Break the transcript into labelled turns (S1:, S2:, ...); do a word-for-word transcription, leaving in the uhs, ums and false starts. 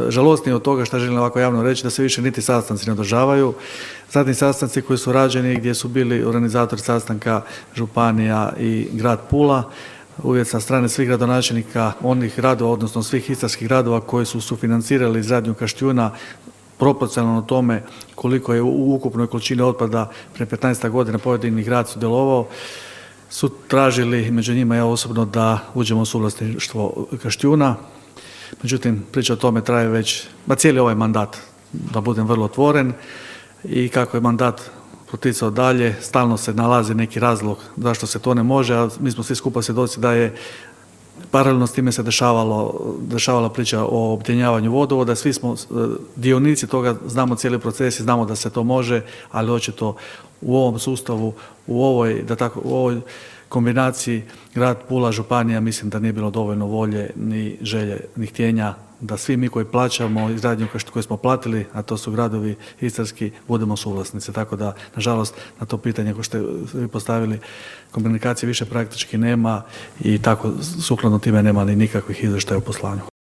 S1: Žalosnije od toga što želim ovako javno reći da se više niti sastanci ne održavaju. Zadnji sastanci koji su rađeni gdje su bili organizatori sastanka županija i grad Pula, uvjet sa strane svih gradonačelnika onih gradova, odnosno svih istarskih gradova koji su sufinancirali izgradnju Kaštijuna proporcionalno tome koliko je u ukupnoj količini otpada prije petnaest godina pojedini grad sudjelovao, su tražili, među njima ja osobno, da uđemo u suvlasništvo Kaštijuna. Međutim, priča o tome traje već, ba cijeli ovaj mandat, da budem vrlo otvoren, i kako je mandat poticao dalje, stalno se nalazi neki razlog zašto se to ne može, a mi smo svi skupa svjedoci da je paralelno s time se dešavalo, dešavala priča o objedinjavanju vodovoda, svi smo dionici toga, znamo cijeli proces i znamo da se to može, ali očito u ovom sustavu, u ovoj, da tako, u ovoj kombinaciji grad Pula, županija, mislim da nije bilo dovoljno volje, ni želje, ni htjenja da svi mi koji plaćamo izgradnju koju smo platili, a to su gradovi istarski, budemo suvlasnici. Tako da, nažalost, na to pitanje koje ste vi postavili, komunikacije više praktički nema i tako sukladno time nema ni nikakvih izvještaja u poslanju.